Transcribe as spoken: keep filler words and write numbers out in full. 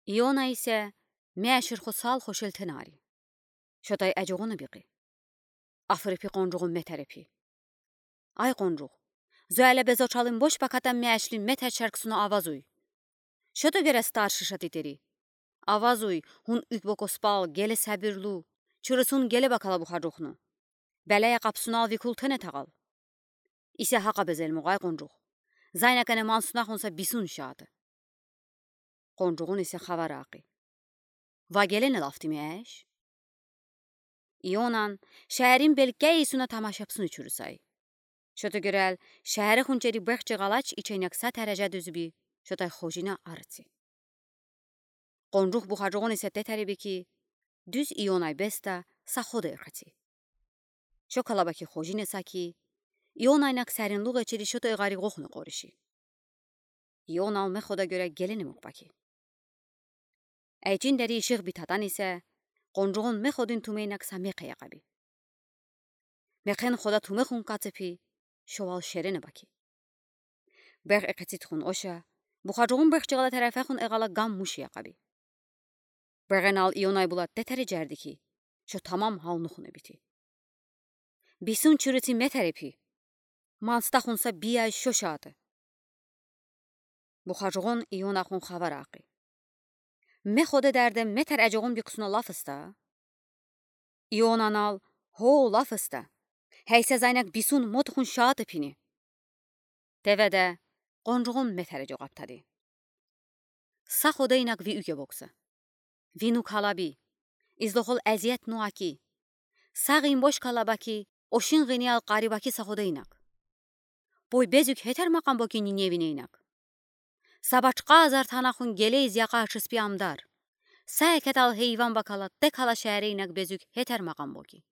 Иона исе меешир хосал хошел тенери. Шотай эжугъуна бикъи. Афри пи къонжугъун метери пи. Ай къонжугъ, зоэле безочалын бош бакатан меешлин метер чарксуна авазуй. Шото гере старши шатитери. Авазуй, хун уьгбокоспал, геле сабирлу, чурысун геле бакала бухажухну. Белея къапсунал викул тенетагъал. Исе гьакъа безелмугъай къонжугъ. Зайнакене мансунахун са бисун шааты. Къонжугъун исе хавар акъи. Ва гелена лафтимеш? Ионан шеерин белкей исуна тамашапсуна чурусай. Шото герел шеери хунчери бехчи галач ичейнек са тережа дуьзби, шотай хожина арци. Къонжугъ бухажугъун исе тетери би ки, дуьз Ионай беста са хода эрхаци. Шокала баки хожина са ки, Ионайнак саринлугъ эчери шотай гъари гохна къориши. Ионал мехода гёре гелена мукъ баки. Эйчин дери ишигъ битатан исе, къонжугъун меходин тумейнак са мехъ якъаби. Мехен хода тумехун кацепи, шовал шерена баки. Бегъ экъецитхун оша, бухажугъун бехчи гъала терефехун эгъала гам муш якъаби. Бегъенал Ионай булат тетери жарди ки, шо тамам гьалнухуна бити. Бисун чурици метери пи. Манстахун са бияй шо шааты. Бухажугъун Ионахун хавар акъи. Мехода дерде метер эжугъун бикъсуна лаф ыста. Ионанал гьо лаф ыста. Гьейсе зайнак бисун мотухун шааты пини. Теведе къонжугъун метери жугъаптади. Са ходайнак ви уьге бокса. Ви нукъ алаби. Излохол эзиет нуаки. Са гъин бош калабаки, ошин гъиниял къарибаки са ходайнак. Бой безуьк гьетер макъам боки ниневинейнак. Са бачкъа азар танахун гелейиз якъа ачыспи амдар. Са экетал гьейван бакала текала шеерейнак безуьк гьетер макъам боки.